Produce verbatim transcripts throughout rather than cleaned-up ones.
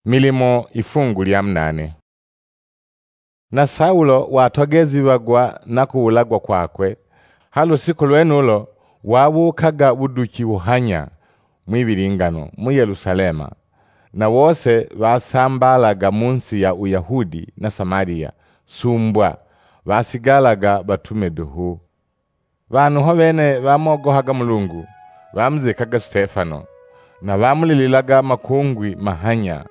Milimo ifungu lya munane. Na Saulo watogeziagwa na kuulagwa kwakwe, ha lushiku lwenulo wabuukaga buduki buhanya ng'wibilingano mu Yelusalema, na bose basambaalaga mu si ya Uyahudi na Samalia, sumbwa, basigaalaga batume duhu. Banhu ho bene bamogohaga Mulungu, bamuzikaga Stefano, na bamulililaga makungwi mahanya.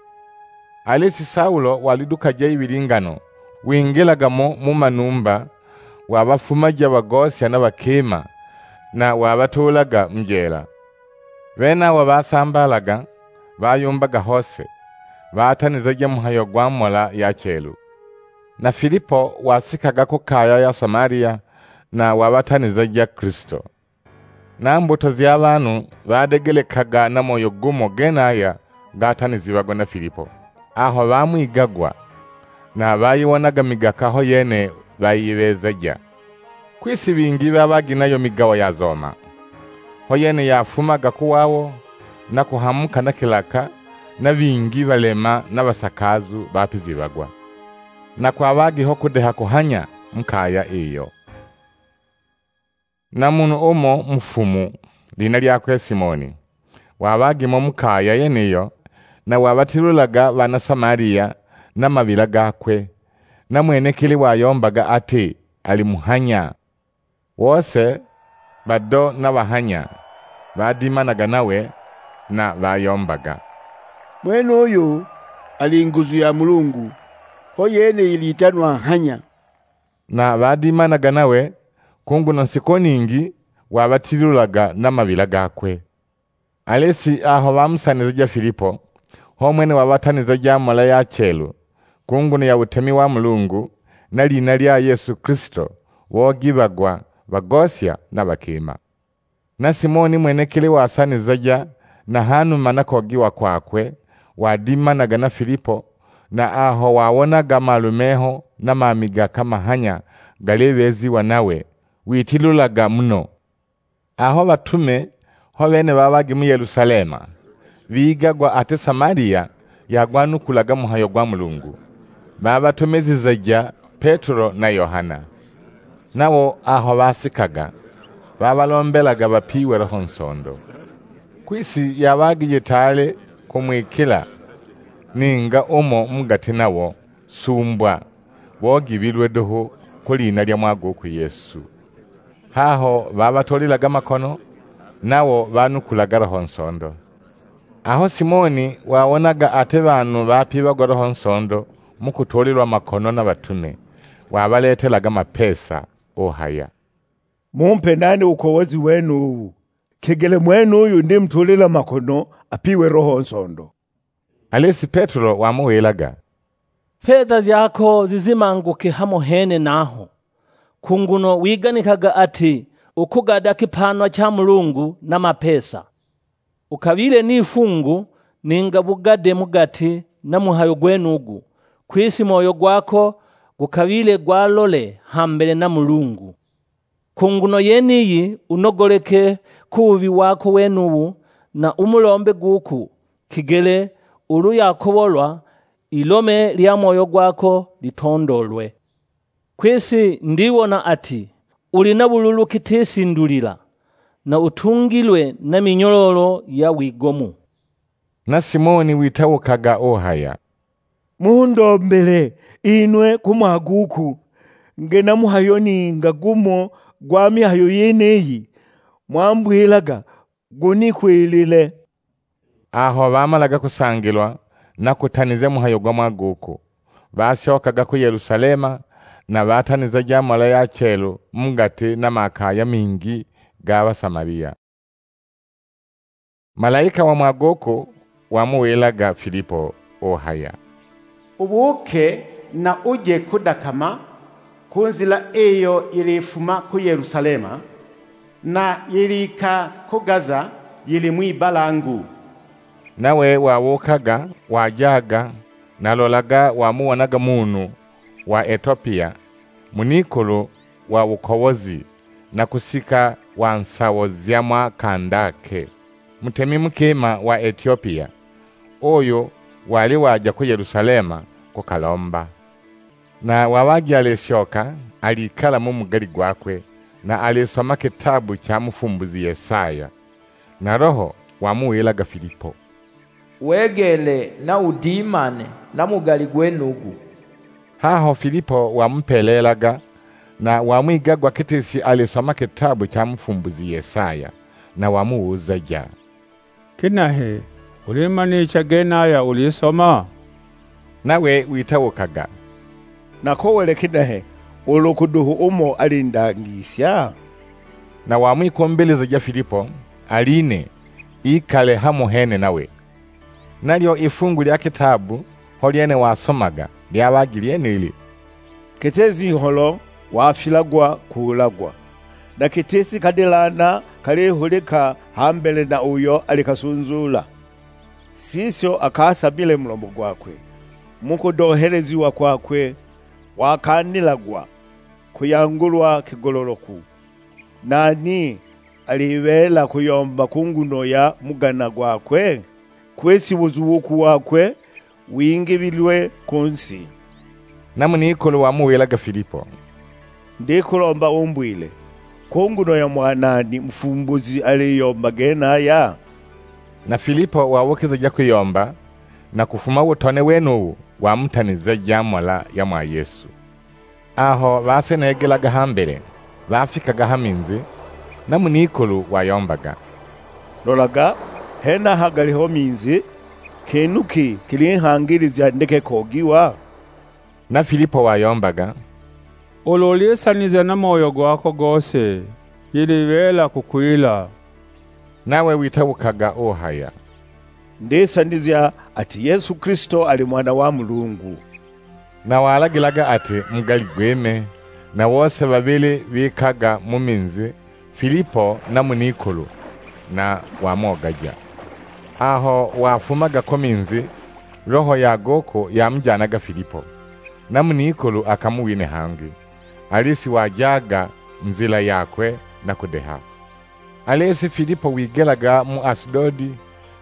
Alisi Saulo walidukaja ibilingano, wingilaga mo mu manumba, wabafumaja bagosya na bakima, na wabatuulaga mu jeela. Benabo basambaalaga, bayumbaga hose, batanizaja mhayo gwa mhola ya chelu. Na Filipo wasikaga ku kaya ya Samalia, na wabatanizaja Kilisto. Na mbuto ja banhu badegelekaga na moyo gumo genaya gataniziagwa na Filipo, aho bamwigagwa, na bayiwonaga migaka ho yene bayibeezaja. Kwisi bingi babagi nayo migawa ya zoma. Ho yene yafumaga ku wabo, na kuhamuka na kilaka, na bingi balema na basakaazu bapiziagwa. Na kwabagi ho kudeha kuhanya mu kaya iyo. Na munhu umo mufumu, lina lyakwe Simoni, wabagi mo mu kaya yeniyo, na wabatilulaga bana Samalia na mabila gakwe, na ng'wenekili wayombaga ati ali muhanya. Bose, bado na bahanya, badimanaga nawe, na bayombaga, "Ng'wenuyu ali nguzu ya Mulungu, ho yene ilitanwa Nhanya." Na badimanaga nawe, ku nguno shikolo ningi wabatilulaga na mabila gakwe. Alisi aho bamusanizaja Filipo, h'o ng'wene wabatanizaja mhola ya chelu, ku nguno ya butemi wa Mulungu, na lina lya Yesu Kilisto, bogibagwa bagosya na bakima. Na Simoni ng'wenekili wasanizaja, na hanuma na kogiwa kwakwe, wadimanaga na Filipo, na aho wawonaga malumeho na mamigaka mahanya galibeeziwa nawe, witilulaga muno. Aho batume ho bene babagi mu Yelusalema, bigagwa ati Samalia yagwanukulaga mhayo gwa Mulungu, babatumizizaja Petelo na Yohana. Nabo aho basikaga, babalombelaga bapiiwe Roho Nsondo. Kwisi yabagi jitaali kung'wikila ninga umo mu gati nabo, sumbwa, bogibilwe duhu ku lina lya ng'wa gukwe Yesu. Haho babatuulilaga makono, nabo banukulaga Roho Nsondo. Aho Simoni wawonaga ati banhu bapibagwa Roho Nsondo mu kutuulilwa makono na batume, wabaleetelaga mapesa, uhaya, "Mumpe nane u kowozi wenubu, kigele ng'wenuyu ndimutuulila makono apiiwe Roho Nsondo." Alisi Petelo wamuwilaga, "Fedha jako zizimanguke hamo hene naho, ku nguno wiganikaga ati ukugada kipaanwa cha Mulungu na mapesa. Ukabiile n'ifungu ninga bugade mu gati na mhayo gwenugu, kwisi moyo gwako gukabiile gwalole hambele na Mulungu. Ku nguno yeniyi unogoleke ku bubi wako wenubu, na umulombe guku, kigele ulu yakobolwa, ilome lya moyo gwako litondoolwe. Kwisi ndibona ati uli na bululu giti sindulila, na utungilwe na minyololo ya wigomu." Na Simoni witawukaga uhaya, "Mundombele inwe ku ng'wa gukwe, nge na mhayo ninga gumo gwa mihayo yeniyi mwambwilaga gunikwilile." Aho bamalaga kusangilwa na kutanizya mhayo gwa ng'wa gukwe, bashokaga ku Yelusalema, na batanizaja mhola ya chelu mu gati na makaya mingi ga Basamalia. Malaika wa ng'wa gukwe wamuwilaga Filipo, uhaya, "Ubuuke na uje kudakama ku nzila iyo yilifuma ku Yelusalema, na yilika ku Gaza, yili ng'wibalangu." Nawe wabuukaga, wajaga, na lolaga, wamubonaga munhu wa Etiopia, mun'ikulu wa bukobozi, na kusika wa nsabo zya ng'wa kandake, mutemi mukima wa Etiopia, uyu wali waja ku Yelusalemu kukalomba. Na wabaja alishoka, alikala mu mugali gwakwe, na alisoma kitabu cha mufumbuzi Yesaya. Na Roho wamuwilaga Filipo, "Wegeele na udimane na mugali gwenugu." Haho Filipo wamupeeleelaga, na wang'wigagwa giti si alisoma kitabu cha mufumbuzi Yesaya, na wamuwuzaja, "Kinahe, ulimanicha genaya ulisoma?" Nawe witabukaga, "Nakowele kinahe, ulu ku duhu umo alindangisha?" Na wang'wikumbilizija Filipo aline, ikale hamo hene nawe. Nalyo i fungu lya kitabu ho lyene wasomaga lyabagi lyenili, "Giti si ngholo wafilagwa kuulagwa, na giti si kadilana kalihulika ha mbele na uyo ali kasunzuula. Sisho akasamile mulomo gwakwe, mu kudohelejiwa kwakwe wakaanilagwa kuyangulwa kigololoku. Nani alibeela kuyomba ku nguno ya mugana gwakwe? Kwisi buzuuku wakwe wingibilwe ku si." Na mun'ikulu wamuwilaga Filipo, "Ndikulomba umbwile, ku nguno ya ng'wa nani mufumbuzi aliyomba genaya?" Na Filipo wabukizija kuyomba, na kufuma butone wenubu wamutanizaja mhola ya ng'wa Yesu. Aho baseneegelaga ha mbele, bafikaga ha minzi, na mun'ikulu wayombaga, "Lolaga, henaha galiho minzi, kinu ki kiling'hangilija ndeke kogiwa?" Na Filipo wayombaga, "Ulu ulisanizya na moyo gwako gose, yilibeela kukwila." Nawe witabukaga uhaya, "Ndisanizya ati Yesu Kilisto ali Ng'wana wa Mulungu." Na walagilaga ati mugali gwime, na bose babili bikaga mu minzi, Filipo na mun'ikulu, na wamogaja. Aho wafumaga ku minzi, roho ya goko yamujanaga Filipo, na mun'ikulu akamuwinha hangi, ali si wajaga nzila yakwe na kudeha. Alisi Filipo wigelaga mu Asudodi,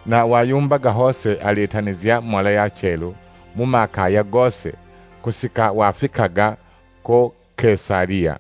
na wayumbaga hose alitanizya mhola ya chelu mu makaya gose, kusika wafikaga ku Kesalia.